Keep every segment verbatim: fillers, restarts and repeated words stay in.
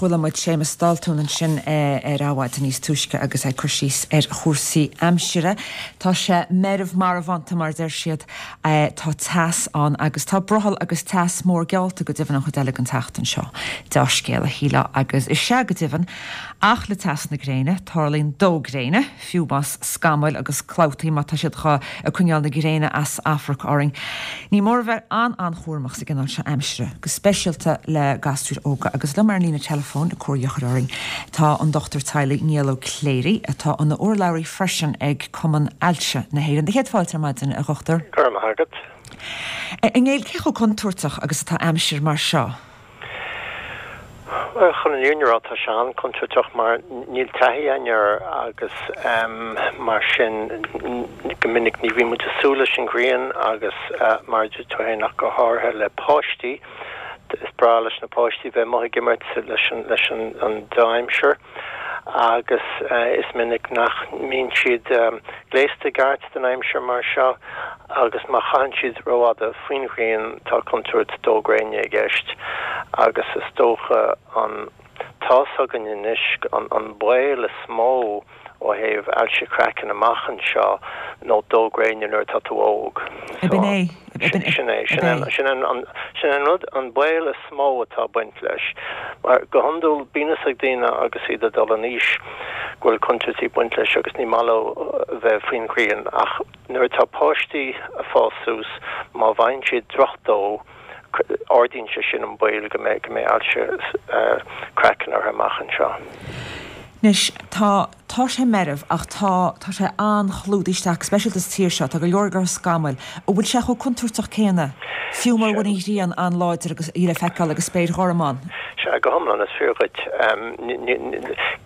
Chuala muid Séamus Daltún ansin ar Adhmhaidin níos túisce agus é ag cur síos ar chúrsaí aimsire. Tá sé meirbh marbhánta mar deir siad, tá teas ann agus tá brothall agus teas mór geallta go deimhin an chuid eile den tseachtain seo. Dea-scéal a shílfeá agus is ea go deimhin ach le teas na gréine, tarlaíonn dó gréine, fiú más scamaill agus clabhtaí má tá siad ag coinneáil na gréine as amharc orainn. Ní mór a bheith an-an-chúramach sa gcineál seo aimsire, go speisialta le gasúir óga agus liom ar an líne teileafóin ag comhairle a chur orainn tá an Dochtúir Teaghlaigh Niall Ó Cléirigh atá ina urlabhraí freisin ag Cumann Ailse na hÉireann. Céad fáilte ar maidin a dhochtúir. Go raibh maith agat. A Néill, cé chomh contúirteach agus atá aimsir mar seo? Bhuel, chun an fhírinne a rá, tá sé an-chontúirteach mar níl taithí againn air agus mar sin go minic ní bhíonn muid ag súil leis an ghrian agus mar a dúirt tú féin ach go háirithe le páistí. Is breá leis na páistí bheith amuigh ag imirt leis an leis an an dea-aimsir agus is minic nach mbíonn siad gléasta i gceart don aimsir mar seo agus má chaitheann siad rófhada faoin ghrian tá contúirt dó gréine i gceist agus is dócha an tá's againn anois an an baol is mó ó thaobh ailse craicinn amach anseo nó dó gréine nuair atá tú óg. Ab in é? Sin é, sin é, sin é, sin é an rud, an baol is mó atá ag baint leis. Mar go hiondúil bíonn fhios ag daoine agus iad ag dul in aois go bhfuil contúirtí ag baint leis agus ní maith leo bheith faoin ghrian ach nuair atá páistí ag fás suas má bhfaigheann siad drochdó ardaíonn sé sin an baol go mbeidh, go mbeidh ailse craicinn orthu amach anseo. Anois, tá, tá sé meirbh ach tá, tá sé an-chlúdaithe isteach, go speisialta sa tír seo, tá go leor leor scamaill. An bhfuil sé chomh contúirteach céanna, fiú mura bhfuil an ghrian an-láidir agus í le feiceáil agus spéir ghorm ann? Sea, go hiomlán, is fíor dhuit.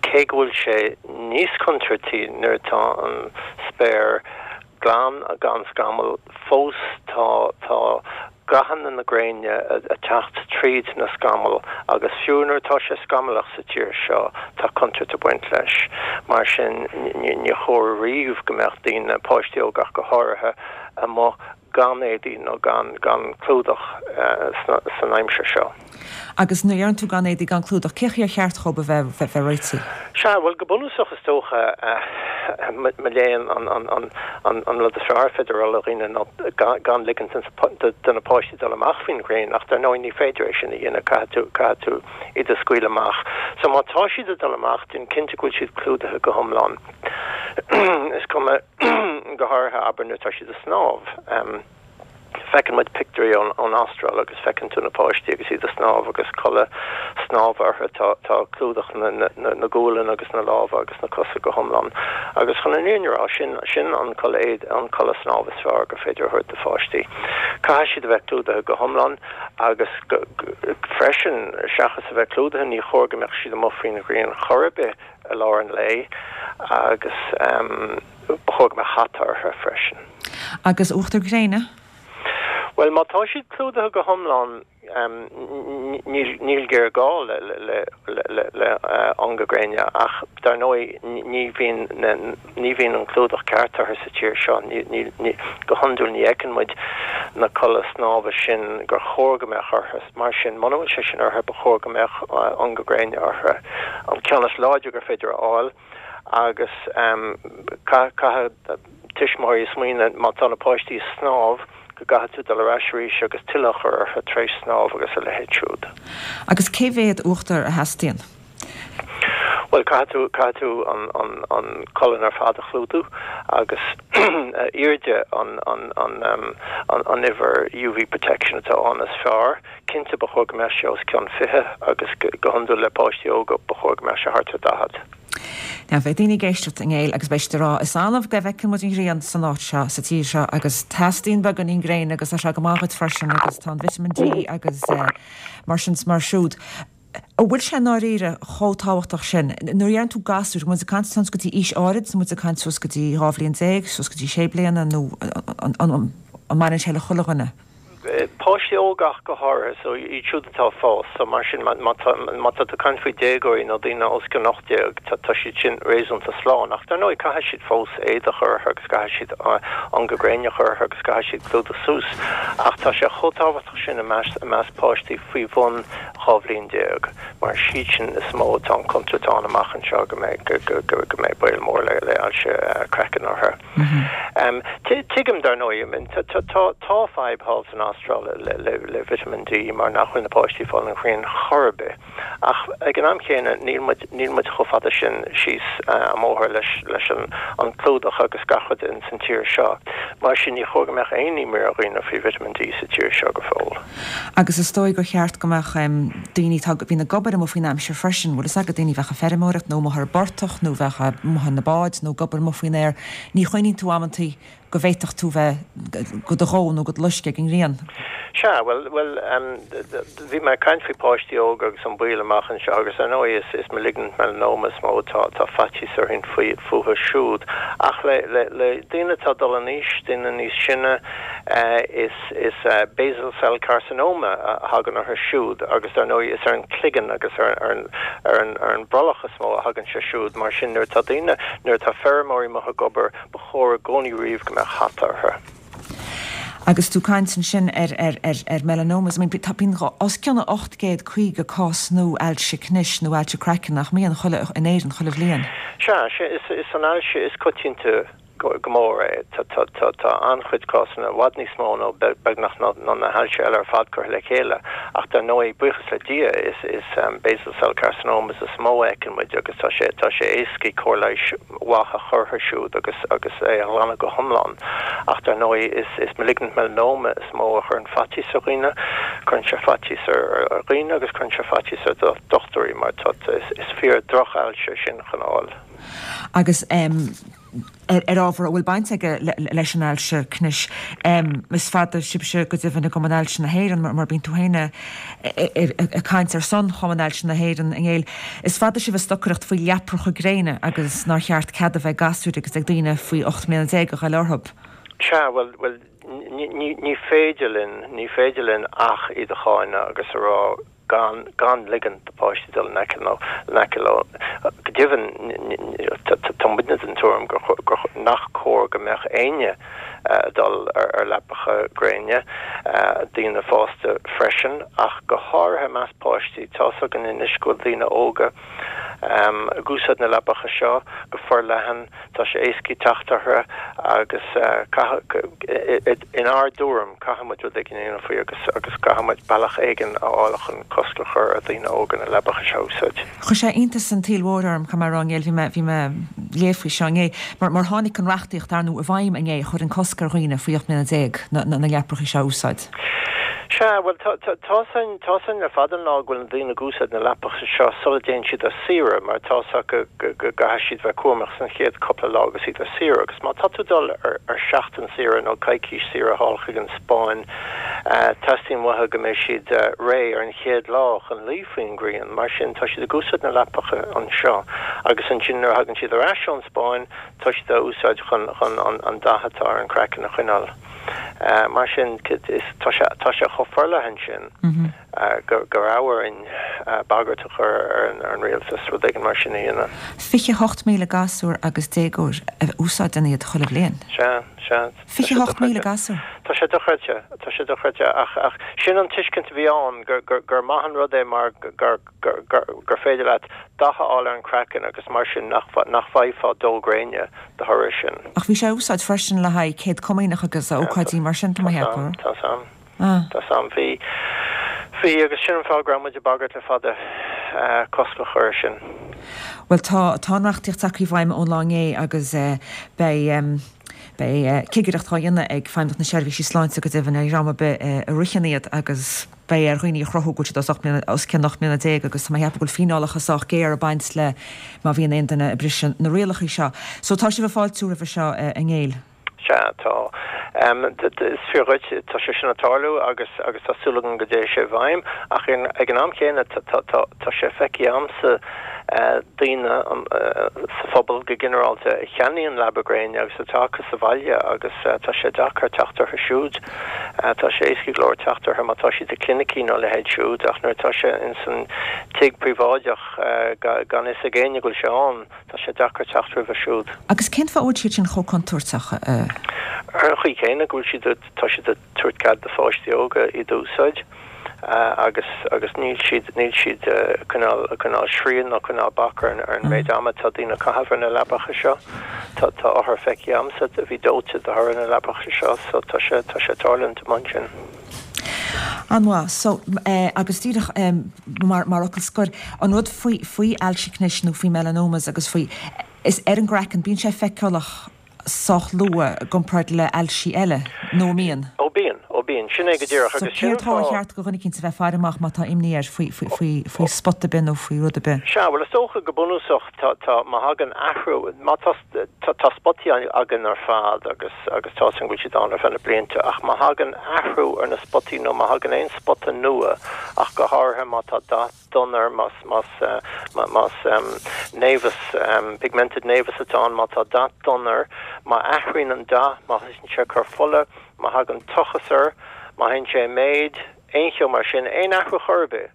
Cé go bhfuil sé níos contúirtí nuair atá an spéir glan gan scamall, fós tá, tá gathanna na gréine ag teacht tríd na scamaill agus fiú nuair atá sé scamallach sa tír seo tá contúirt ag baint leis. Mar sin ní chóir riamh go mbeadh daoine, páistí óga ach go háirithe, amuigh gan éadaí nó gan gan clúdach san aimsir seo. Agus nuair a deireann tú gan éadaí gan clúdach, cé chaoi ar cheart dhóibh a bheith bheith réitithe? Sea, bhuel go bunúsach is dócha, mo léan, an rud is fearr ar féidir a rá le dhaoine ná gan ligint do na páistí dul amach faoin ghrian ach dar ndóigh ní féidir é sin a dhéanamh, caithfidh tú, caithfidh tú iad a scaoileadh amach. So má tá siad ag dul amach, déan cinnte go bhfuil siad clúdaithe go hiomlán. Is cuma, go háirithe, abair nuair atá siad ag snámh. Feiceann muid pictiúirí ón Astráil agus feiceann tú na páistí agus iad ag snámh agus culaith snámha orthu, tá tá clúdach na na gualainn agus na lámha agus na cosa go hiomlán. Agus chun an fhírinne a rá, sin sin an culaith an culaith snámha is fearr gur féidir a thabhairt do pháistí. Caithfidh siad a bheith clúdaithe go hiomlán agus freisin seachas a bheith clúdaithe ní chóir go mbeadh siad amuigh faoin ghrian chor ar bith i lár an lae agus ba chóir go mbeadh hata orthu freisin. Agus uachtar gréine? Bhuel, má tá siad clúdaithe go hiomlán, níl géarghá le le ionga gréine ach dar ndóigh ní bhíonn ní bhíonn an clúdach ceart orthu sa tír seo. Go hiondúil ní fheiceann muid na culaith snámha sin gur chóir go mbeadh orthu. Mar sin, muna bhfuil sé sin orthu, ba chóir go mbeadh ionga gréine orthu, an ceann is láidre gur féidir a fháil agus caithfidh tuismitheoirí smaoineamh má tá na páistí ag snámh go gcaithfidh tú dul ar ais arís agus tuilleadh a chur orthu tar éis snámh agus a leithéid siúd. Agus cé mhéad uachtar a theastaíonn? Bhuel, caithfidh tú, caithfidh tú an, an, an colainn ar fad a chlúdú agus airde an, an, an, an, an uimhir UV protection atá ann is fearr. Cinnte ba chóir go mbeadh sé os cionn fiche agus go hiondúil le páistí óga ba chóir go mbeadh sé thart ar daichead. Now beidh daoine ag éisteacht a Néill agus beidh siad ag rá is annamh go bhfeiceann muid an ghrian san áit seo, sa tír seo agus teastaíonn beagáinín gréine agus tá sé go maith dhuit freisin agus tá an vitamin D agus mar sin 's mar siúd. An bhfuil sé i ndáiríre chomh tábhachtach sin? Nuair a dheireann tú gasúir, muid ag caint suas go dtí aois áirid, nó muid ag caint suas go dtí dhá bhliain déag, suas go dtí sé bliana nó an mbaineann sé le chuile dhuine? Páistí óga ach go háirithe, so iad siúd atá ag fás, so mar sin má má tá má tá tú ag caint faoi déagóirí nó daoine os cionn ocht déag, tá tá siad sin réasúnta slán. Ach dar ndóigh caithfidh siad fós éadach a chur orthu agus caithfidh siad ionga gréine a chur orthu agus caithfidh siad clúdach suas. Ach tá sé chomh tábhachtach sin i measc i measc páistí faoi bhun dhá bhliain déag, mar is iad sin is mó atá an contúirt ann amach anseo go mbeidh go go go go mbeidh baol mór le le ailse craicinn orthu. Tuigim, dar ndóigh, tá fadhb thall san Astráil le Vitamin D mar nach bhfuil na páistí ag fáil an ghrian chor ar bith. Ach ag an am chéanna níl muid níl muid chomh fada sin síos an bóthar leis leis an an clúdach agus gach rud in san tír seo. Mar sin ní chóir go mbeadh aon imní ar dhaoine faoi Vitamin D sa tír seo go fóill. Agus is dóigh gur cheart go mbeadh daoine atá bhíonn ag obair amuigh faoin aimsir freisin, bhfuil fhios agat, daoine a bheadh ag feirmeoireacht nó amuigh ar an bportach nó bheadh amuigh ar na báid nó ag obair amuigh faoin aer, ní chuimhníonn tú amantaí go bhféadfadh tú bheith go do dhó nó go do loisceadh ag an ngrian. Sea, bhuel, bhuel, bhí mé ag caint faoi páistí óga agus an baol amach anseo agus ar ndóigh is, is malignant melanoma is mó atá, atá faitíos orainn faoi, fúthu siúd. Ach le, le, le daoine atá ag dul in aois, daoine níos sine, is, is basal cell carcinoma a thagann orthu siúd agus ar ndóigh is ar an gcloigeann agus ar, ar an, ar an, ar an brollach is mó a thagann sé siúd. Mar sin nuair atá daoine, nuair atá feirmeoirí amuigh ag obair, ba chóir i gcónaí riamh go mbeadh hata orthu. Agus tú ag caint ansin ar ar ar ar melanomas, I mean tá bíonn os cionn ocht gcéad caoga cás nua ailse cnis nó ailse craicinn nach mbíonn chuile in Éirinn chuile bhliain. Sea, sea, is is an ailse is coitianta go go mór é. Tá tá tá tá an-chuid cásanna, i bhfad níos mó nó beagnach ná ná na hailse eile ar fad curtha le chéile. Ach dar ndóigh, buíochas le Dia, is is basal cell carcinomas is mó a fheiceann muid agus tá sé tá sé éascaí cóir leighis mhaith a chur orthu siúd agus agus é a ghlanadh go hiomlán. Ach dar ndóigh is is malignant melanoma is mó a chuireann faitíos ar dhaoine, cuireann sé faitíos ar ar dhaoine agus cuireann sé faitíos ar dochtúirí mar tá is is fíor droch-ailse sin chun fháil. Agus um, ar, ar ábhar a bhfuil baint aige le, leis an ailse cnis. Um, is fada sibhse go deimhin i gCumann Ailse na hÉireann mar, mar bíonn tú féin ag caint ar son Chumann Ailse na hÉireann innéil. Is fada sibh ag stocaireacht faoi leapracha gréine agus nár cheart cead a bheith ag gasúir agus ag daoine faoi ocht mbliana déag a ghoil orthu. Sea, bhuel, bhuel, ní, ní, ní féidir linn, ní féidir linn ach iad a cháineadh agus a rá gan gan ligean do pháistí dul in aice nó in aice leo. Go deimhin tá muidne den tuairim gur gur nach cóir go mbeadh éinne ag dul ar ar leapacha gréine, daoine fásta freisin, ach go háirithe i measc páistí. Tá's againn anois go bhfuil daoine óga ag úsáid na leapacha seo go forleathan, tá sé éascaí teacht orthu agus caithfidh, inár dtuairim, caithfidh muid rud éigin a dhéanamh faoi agus agus caithfidh muid bealach éigin a fháil chun cosc a chur ar dhaoine óga na leapacha seo a úsáid. Chuir sé iontas an tsaoil mhóir orm, caithfidh mé a rá, inné, bhí mé, bhí mé ag léamh faoi seo inné, mar, mar tháinig an reachtaíocht ar ndóigh i bhfeidhm inné a chuireann cosc ar dhaoine faoi ocht mbliana déag na, na, na leapracha seo a úsáid. Sea, bhuel, tá, tá, tá's againn, tá's againn le fada an lá go bhfuil na daoine ag úsáid na leapacha seo sula dtéann siad ar saoire, mar tá's acu go, go gcaithfidh siad bheith cúramach san chéad cúpla lá agus iad ar saoire. Agus má tá tú ag dul ar, ar seachtain saoire nó coicís saoire thall chuig an Spáinn, teastaíonn uathu go mbeidh siad réidh ar an chéad lá chun luí faoin ngrian. Mar sin, tá siad ag úsáid na leapacha anseo agus ansin nuair a thagann siad ar ais ón Spáinn, tá siad á úsáid chun, chun an, an dath atá ar an craiceann a choinneáil. Mar sin, tá sé, tá sé chomh forleathan sin go, go raibh orainn bagairt a chur ar an, ar an rialtas rud éigin mar sin a dhéanamh. Fiche hocht míle gasúr agus déagóir a úsáideann iad chuile bhliain. Sea, sea. Fiche hocht míle gasúr. Tá sé dochreidte, tá sé dochreidte ach, ach sin an tuiscint a bhí ann gur, gur, gur maith an rud é mar gur, gur, gur, gur féidir leat dath a fháil ar an craiceann agus mar sin nach, nach bhfaighfeá dó gréine de thoradh sin. Ach bhí sé á úsáid freisin le haghaidh céad comaoineach agus ócáidí mar sin, tá mé ag ceapadh. Tá sam. Tá sam. Bhí, bhí agus sin an fáth go raibh muid ag bagairt le fada cosc a chur air sin. Bhuel tá, tá an reachtaíocht tagtha i bhfeidhm ón lá inné agus beidh, beidh cigireacht á dhéanamh ag Feidhmeannacht na Seirbhísí Sláinte go deimhin ar dhream ar bith a ritheann iad agus beidh ar dhaoine a chruthú go bhfuil siad os ocht mbliana, os cionn ocht mbliana déag agus tá mé ag ceapadh go bhfuil fíneálacha sách géar ag baint le má bhíonn aon duine ag briseadh na rialacha seo. So tá sibh ag fáiltiú roimhe seo a Néill? Sea, tá. Is fíor dhuit, tá sé sin ag tarlú agus agus tá súil agam go dtéann sé i bhfeidhm ach ag an am chéanna tá tá tá sé feicthe a'msa daoine sa phobal go ginearálta a cheannaíonn leaba gréine agus atá acu sa bhaile agus tá sé deacair teacht orthu siúd. Tá sé éasca go leor teacht orthu má tá siad i clinicí nó a leithéid siúd ach nuair atá sé ins an tigh príobháideach gan fhios ag éinne go bhfuil sé ann, tá sé deacair teacht roimhe siúd. Agus cén fáth a bhfuil siad sin chomh contúirteach? Ar an chaoi chéanna go bhfuil siad, tá siad ag tabhairt cead do pháistí óga iad a úsáid agus agus níl siad, níl siad ag coinneáil, ag coinneáil srian nó coinneáil bac ar an méid ama atá daoine ag caitheamh ar na leapacha seo. Tá, tá othair feicthe agamsa a bhí dóite de thoradh na leapacha seo so tá sé, tá sé ag tarlúint amuigh ansin. An-mhaith. So, agus díreach mar, mar fhocal scoir, an rud faoi, faoi ailse cnis nó faoi melanomas agus faoi, is ar an gcraiceann, bíonn sé feiceálach sách luath i gcomparáid le ailsí eile, nó an mbíonn? Ó bíonn, ó bíonn. Sin é go díreach So agus sin cén an fáth ar fáth. cheart do dhuine eicínt a bheith ag faire amach má tá imní air faoi, faoi, faoi, faoi spota ar bith nó faoi rud ar bith? Sea, bhuel is dócha go bunúsach tá, tá, má thagann athrú, má tá, tá, tá spotaí againn ar fad agus, agus tá a fhios againn go bhfuil siad ann ar feadh na blianta ach má thagann athrú ar na spotaí nó má thagann aon spota nua ach go háirithe má tá dath donn air, más, más, más névus, pigmented nevus atá ann, má tá dath donn air, má athraíonn an dath, má thosaíonn sé ag cur fola, má thagann tochas air, má théann sé i méid, aon cheo mar sin, aon athrú chor ar bith,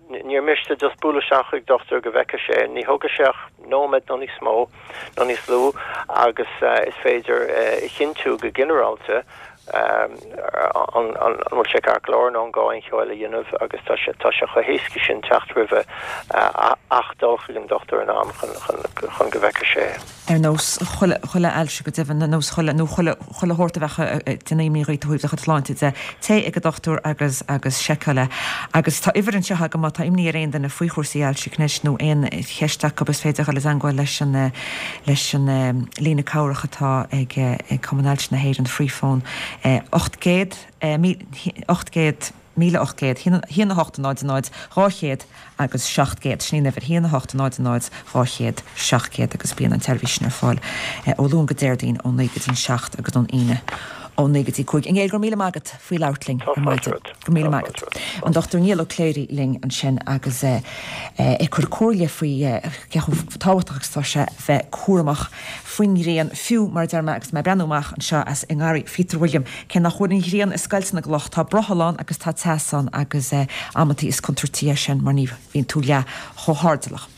níor mhiste just bualadh isteach chuig dochtúir go bhfeicfidh sé, ní thógfaidh sé ach nóiméad nó níos mó nó níos lú agus is féidir a chinntiú go ginearálta an bhfuil sé ceart go leor nó an gá aon cheo eile a dhéanamh agus tá sé tá sé chomh héasca sin teacht roimhe ach dul chuig an dochtúir in am chun chun chun go bhfeicfidh sé é. Ar nós chuile chuile ailse go deimhin, ar nós chuile nó chuile chuile shórt a bheadh ag déanamh imní dhuit ó thaobh do chuid sláinte de, téigh ag an dochtúir agus agus seiceáil é. Agus tá uimhir anseo agam má tá imní ar aon duine faoi chúrsaí ailse cnis nó aon cheist acu is féidir dhul i dteangmháil leis an leis an líne cabhrach atá ag ag Cumann Ailse na hÉireann Freephone ocht gcéad ocht gcéad míle ocht gcéad haon a hocht náid náid dhá chéad agus seacht gcéad. Sin í an uimhir, haon a hocht náid náid dhá chéad seacht gcéad agus bíonn an tseirbhís sin ar fáil ó Luan go Déardaoin ó naoi go dtí an seacht agus ón Aoine ó naoi go dtí cúig. A Néill, go raibh míle maith agat faoi labhairt linn Tá ar fáilte maidin. romhat. Go raibh míle Tá maith fáilte agat. romhat. An Dochtúir Niall Ó Cléirigh linn ansin agus é ag cur comhairle faoi cé chomh tábhachtach agus atá sé bheith cúramach faoin ngrian, fiú mar a deir mé agus mé ag breathnú amach anseo as i ngarraí Phíotair William, cé nach bhfuil an ghrian ag scoilteadh na gcloch, tá brothall ann agus tá teas ann agus amantaí is contúirtí é sin mar ní bhíonn tú leath chomh hairdeallach.